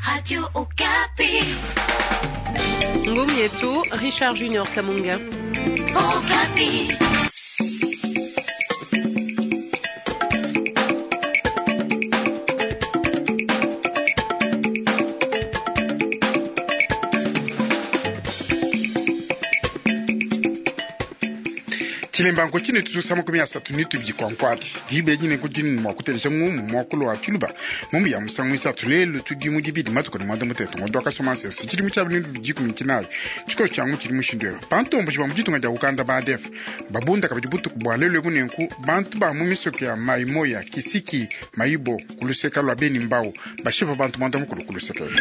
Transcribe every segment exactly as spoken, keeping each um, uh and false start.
Radio Okapi. Ngumu yetu Richard Junior Kamunga. Okapi. Tshilembanko tshine tutusa makumi asatu ne tubidi kwankwadi diba dine kudini mua kutelesha ngumu muakulu wa tshiluba mumu ya musangu isatu lelu tudi mu dibidi matuku ne muanda mutete ngondo wakasoma nsese tshidimu tshia bintu bidikumi tshinayi tshikolo tshiangu tshidi mushindu ewu bantomboshi ba mu ditunga dia Uganda ba A D F babunda kabidi butuku bua lelu ebu nenku bantu ba mu misoko ya Maimoya Kisiki Mayibo kuluseka lua Beni Mbau bashipa bantu muanda mukulu kuluseka elu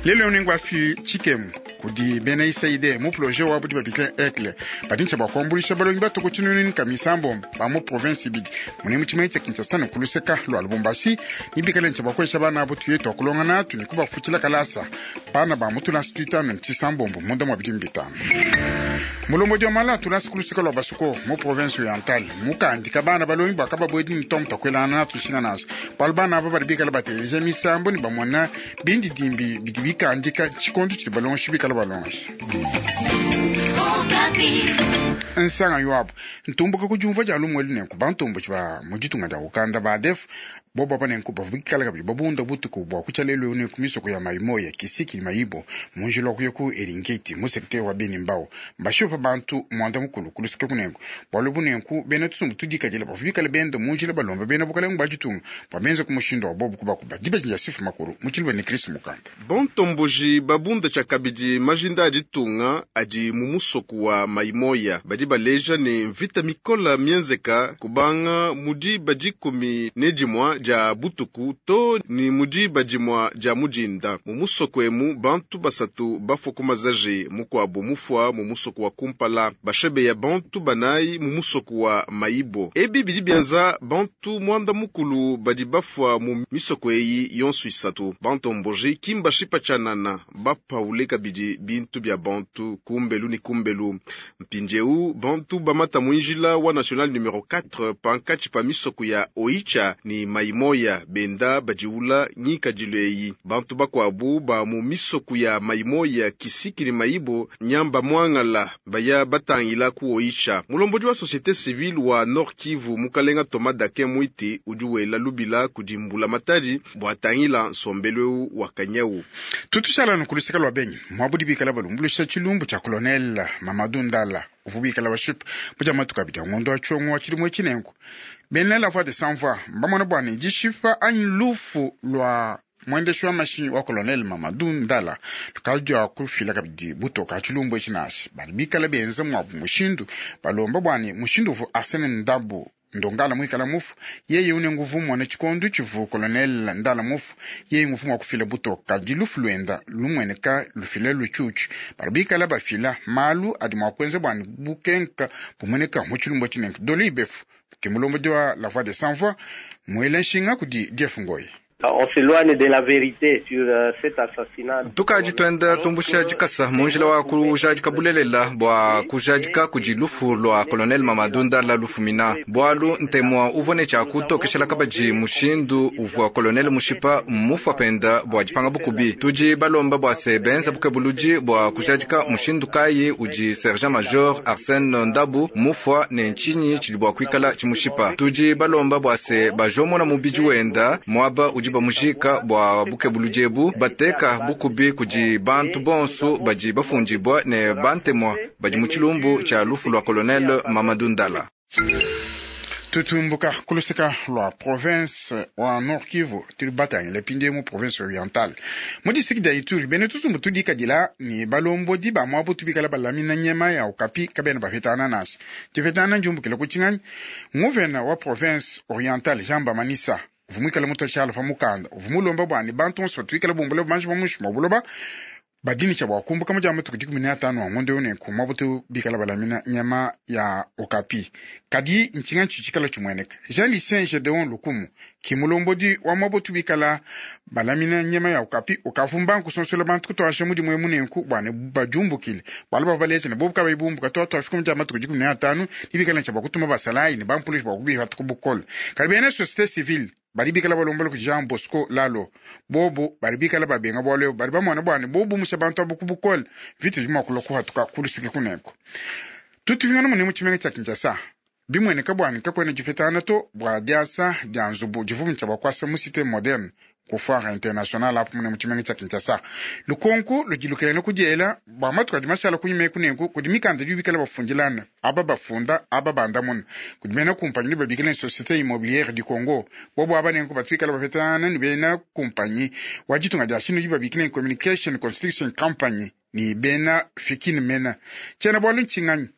lelu nengu afi tshikemu kudi bena U S A I D mu projet wa budi babikila ECLE badi ntshia bua kuambuluisha balongi batuku tshinunu ka misambombo ba mu province ibidi mune mu tshimenga tshia Kinshasa ne kuluseka lua Lubumbashi nibikale ntshia bua kuesha bana abo tuye tua kulonga natu ne kubafutshila kalasa bana ba mu tulasa tuitanu ne tshisambombo munda mua bidimu bitanu. Mulombodi wa mala tulasa kuluseka lua Basuko mu province orientale mukandika bana balongi bua kababuedi ne tomu takuelana natu shina naso bualu bana aba badi bikala bateleja misambo ne bamona bindidimbi bidi bikandika tshikondo tshidi balongeshi bikala balongesha. Okapi. Nsanga yoabo ntumbuka kudiumvua dia lumue nenku bantomboshi ba mu ditunga dia Uganda ba A D F bobo apa nenku bavua bikala kabidi babunda butuku bua kutshia lelu eu nenku misoko ya Maimoya Kisiki Mayibo mu njila wa kuya ku Eringeti mu secteur wa Beni Mbau bashipa bantu muanda mukulu kuluseke kunenku bualu bunenku bena tusumbu tudikadila bavua bikala benda mu njila balomba bena bukalenga bua ditunga bua benza ku mushindu wa bobo kubakuba dibeji dia sifu makulu mu tshiluba ne Kristu mukanda. Bantomboji babunda tshiakabidi majinda a ditunga adi mu musoku wa Maimoya badi baleja ne mvita mikola mienzeka kubanga mudi badikumi ne dimua dia butuku to ni mudi badimua dia mudinda mu musoko emu bantu basatu bafua ku mazaje mukuabo mufua mu musoko wa kumpala bashebeya bantu banayi mu musoko wa Maibo ebi bidi bienza bantu muanda mukulu badi bafua mu misoko eyi yonso isatu. Bantomboji kimbashipa tshianana bapaule kabidi bintu bia bantu kumbelu ni kumbelu. Mpindieu bantu bamata mwinjila wa national numero quatre pankatshi pa misoko ya Oicha ni Maimoya benda badiula nyikadilu eyi. Bantu bakuabu ba mu misoko ya Maimoya Kisiki ni Maibo nyamba mwangala baya batangila ku Oicha. Mulombodi wa société civile wa Nord Kivu mukalenga Thomas Dakin Mwiti udi wela lubila kudi mbula matadi bua tangila nsombelu eu wa kanyau. Tutushala nukuluseka lua Benyi muabudi bikala balumbuluisha tshilumbu tshia colonel Mamadou Ndala uvua bikala bashipa budia matuku abidi a ngondo wa tshiongo wa tshidimu tshinenku bena La Voix de Sans Voix mbamona bua ne dishipa anyi lufu lua mwendeshi wa mashinyi wa colonel Mamadou Ndala lukadi dia kufila kabidi butoka tshilumbu etshi nashi badi bikala benza muabu mushindu balomba bua ne mushindu uvu Arsene Ndabu ndongala muikala mufu yeye une nguvu mwana tshikondo tshivu colonel Ndala mufu yeye nguvu mua kufila butoka kadi lufu luenda lumueneka lufila lutshutshu badi bikala bafila malu adi mua kuenza bua ne bukenka bumueneka mu tshilumbu tshinenke dolo ibefu ke mulombodi wa La Voix de Sans Voix muele nshinga kudi Jeff Ngoyi. On s'éloigne de la vérité sur euh, cet assassinat. Tukadi twenda tumbusha dikasa munjila wa kujadika bulelela bua kujadika kudi lufu lua colonel Mamadou Ndala lufumina bualu ntemua uvua ne tshia kutokeshela kabadi mushindu uvua colonel mushipa mufua penda bua dipanga bukubi. Tudi balomba bua se benza bukebuludi bua kujadika mushindu kayi udi sergent major Arsène Ndabu mufua ne ntshinyi tshidi bua kuikala tshimushipa. Tudi balomba bua se bajomona mubidi wenda muaba udi bamujika bua bukebuludi ebu bateka bukubi kudi bantu bonso badi bafundibwa ne bantemwa badi mu tshilumbu tshia lufu lua colonel Mamadou Ndala. Tutumbuka kuluseka lua province wa Nord Kivu tuli batangila pinde mu province orientale mu district dia Ituri bene tusumbu tudikadila ni balombodi ba muabu tubikala balamina nyama ya okapi kabena bapetana naso tipetana njumbukila kutshinganyi nguvena wa province orientale Jean Bamanisa uvua muikale mutu tshiala pa mukanda uvua mulomba bua ne bantu bonso batuikala bumbula bumanji bua muinshi mua buloba badini tshia bua kumbuka mu dia matuku dikumi ne atanu a ngondo eu nenku muabu bikala balamina nyama ya okapi kadi ntshinga ntshi tshikala tshimueneka Jean Lucien Gedeon Lukumu Kimulombodi wa mwabotu bikala balamina nyama ya okapi ukavumba nkusonsola bantu kutwasha mudimu emunenku bwane bajumbukile bwala babaleze ne bobu kabayi bumbuka twatwa afika mu matuku dikumi ne atanu nibikala ncha bakutuma basalayi ne bampulishi bakubiha tukubukola kali bena société civile bali bikala balombola ku Jean Bosco Lalo bobu bali bikala babenga bwalo bali bamwana bwane bobu musha bantu abukubukola vitu bimakula kuhatuka kulusike kuneko tutuvingana mune mu tshimenga tshia Kinshasa bimweneka bwane kakwena difetana to bwa diasa dia nzubu divumu tshia bakwasa mu cité moderne ku foire internationale apo mune mu tshimenga tshia Kinshasa lukonku ludilukene kudiela bwa matuku adi mashala kunyuma ekunenku kudi mikanda dibikala bafundilana aba bafunda aba bandamuna kudi bena kumpanyi ni babikila société immobilière du Congo bobo aba nenku batwikala bafetana ni bena kumpanyi wa ditunga dia shinu dibabikila communication construction company ni bena fikini mena tshiena bwalu ntshinganyi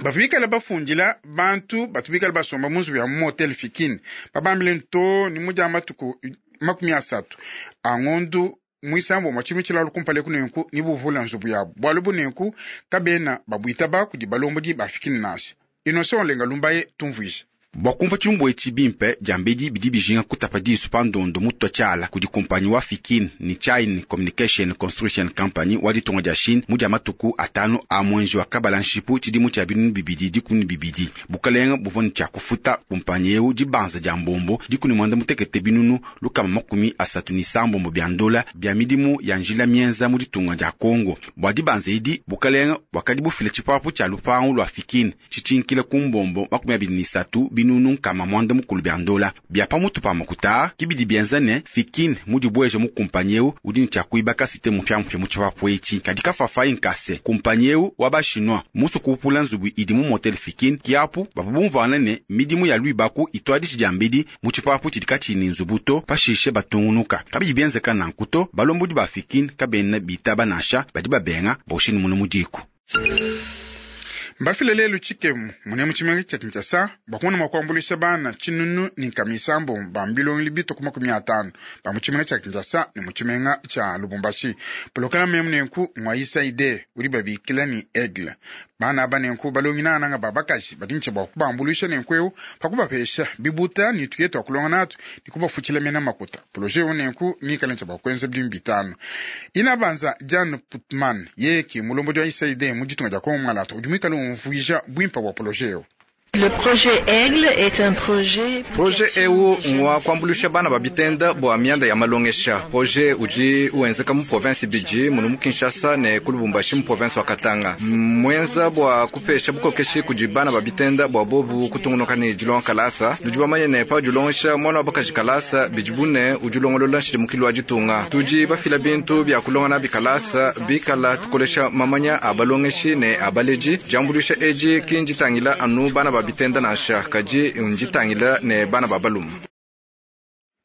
bafibikala bafundila bantu batubikala basomba munzu ya motel fikini babambile nto ni mudia matuku makumi asatu angondu mwisambo mwa tshilalu kumpala kunenku ni buvula nzubu yabo bwalu bunenku kabena babwitaba kudi balombodi bafikini nasi Innocent Olenga Lumbaye tumvuije Bwa kumva tshilumbu etshi bimpe diambedi bidi bijinga kutapa disu pa ndondo mutwa tshiala kudi kumpanyi wa Fikin ni Chine Communication Construction Company wa ditunga dia Chine mu dia matuku atanu a mwenji wa kabala nshipu tshidimu tshia binunu bibidi dikumi ne bibidi bukalenga buvua ne tshia kufuta kumpanyi eu dibanza dia mbombo dikumi mwanda mutekete binunu lukama makumi asatu ni sambombo bia ndola bia midimu ya njila mienza mu ditunga dia Kongo bwa dibanza edi bukalenga bwakadi bufila tshipapu tshia lupangu lua Fikin tshitshinkile ku mbombo makumi abidi ni satu binunu nkama mwanda mukulu bia ndola bia pamutu pa makuta kibidi bienza ne Fikin mudi bweje mu kumpanyi eu udi ne tshia kuibaka cité mupyamupya mu tshipapu etshi kadi kafafai nkase kumpanyi eu wa bashinwa musu kupula nzubu idi mu motel Fikin kiapu bavua bumvuana ne midimu ya luibaku itwadishi dia mbidi mu tshipapu tshidi katshini nzubu to pashishe batungunuka kabidi bienzeka nanku to balombodi ba Fikin kabena bitaba nansha badi babenga boshini munu mudiku mbafile lelu tshikemu mune mu tshimenga tshia Kinshasa bakumona mua kuambuluisha bana tshinunu ni nkamisambo bambilongeli bituku makumi atanu ba mu tshimenga tshia Kinshasa ne mu tshimenga tshia Lubumbashi polokala memu nenku ngwa isaide udi babikila ni aigle bana aba nenku balongi nananga babakaji badi ntsha bua kubambuluisha nenku eu pakubapesha bibuta ni tuye twa kulonga natu ni kubafutshila mena makuta projet eu nenku mikala ntsha bua kuenza bidimu bitanu inabanza Jan Putman yeye mulombodi wa isaide mu ditunga dia Kongo Mwalata udi muikale umvuija bwimpa bwa projet eu. Le projet Aigle est un projet projet eu ngwa kuambulisha bana babitenda bwa mianda ya malongesha projet udi uenzeka mu province biji munu mu Kinshasa ne ku Lubumbashi mu province wa Katanga mwenza bwa kupesha bukokeshi kudi bana babitenda bwa bobu kutungunuka ne dilonga kalasa ludi bamanye ne pa dilongesha mwana wa bakaji kalasa bidi bune udilongolola nshidimukilu wa ditunga tudi bafila bintu bia kulonga nabi kalasa bikala tukolesha mamanya a balongeshi ne abaleji diambulisha eji kinjitangila anu bana babitenda nansha kaji unjitangila ne bana babalumu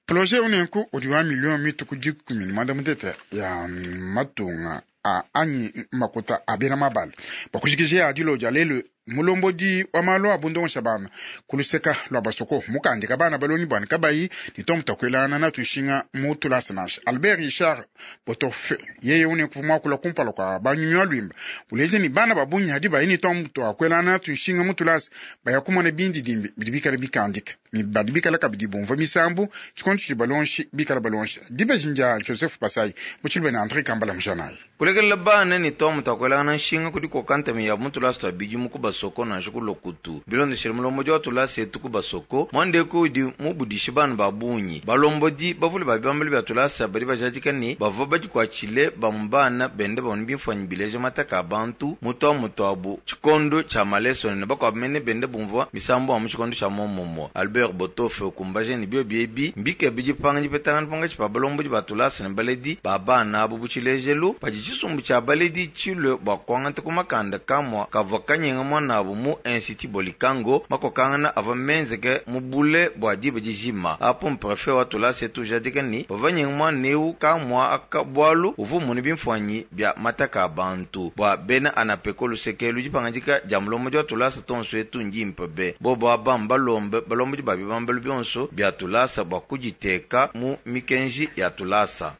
projet unenku udi wa million mituku dikumi ne mwanda mutete ya matunga a anyi makuta abena mabala bakushikisha ya dilo dia lelu mulombodi wa malu abundongosha bana kuluseka lwa basoko mukandika bana balongi bwana kabayi ni tomutakwelana na tushinga mutulasa nasha Albert Richard Botofe yeye une kuvuma kula kumpala kwa banyunywa lwimba uleze ni bana babunyi hadi bayi ni tomutu akwelana na tushinga mutulasa bayakumona bindi dimbi bidibikala bikandika ni badibikala kabidi bumva misambu tshikonto tshidi balonshi bikala balonshi dibejinja Joseph Basai muchilbe na André Kambala mjanayi kulekelela bana ni tomutakwelana nshinga kudi kokantami ya mutulasa twa bidimu kubasoko nansha kulokutu bilondeshele mulombodi wa tulasa etu kubasoko mwandeko udi mubudishi bana babunyi balombodi bavule ba bibambelu bya tulasa badi bajadika ne bavua badikuatshile bamu bana bende bamone bimfuanyi bileja mataka a bantu mutu wa mutu abu tshikondo tshia malesone ne bakuabu mene bende bumvua misambu amu tshikondo tshia momomo Albert Botofe okumbaje ne bio biebi mbike bidipanga dipetangana pangatshi pa balombodi ba tulasa ne baledi ba bana abu butshilejelu padi tshisumbu tshia baledi tshilue bua kuangata ku makanda kamua kavua kanyenga mwana abu mu institut Bolikango makokangana ava menzeke mubule bua diba dijima apo mprefet wa tulasa etu jadika ni bavanyenga mwana eu kamua aka bwalu uvu mune bimfuanyi bia mataka a bantu bua bena anapeko luseke dipangandika dia mulombodi wa tulasa tonso etu ndimpe be bobo aba mbalombe balombodi ba bibambelu bionso bia tulasa bua kuditeka mu mikenji ya tulasa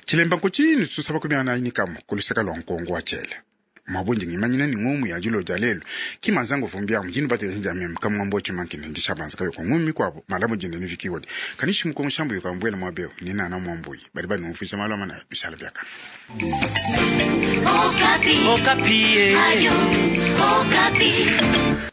Tshilemba nkuchi ni tusaba kumiana inikamo kuluseka lwa nkongo wa tshele. Mwabundi ngimanyina ni ngumu ya julo ja lelo. Kimanzango fumbia mjini bate ya mem kamwambo chimankine ndishabanza kayo kwa ngumi kwabo malamu jinde nifikiwa. Kanishi mkongo shambu yukambwela mwabeo nina na mwambui. Bari bari numfisha malama na bishala byaka. Okapi. Okapi. Radio Okapi.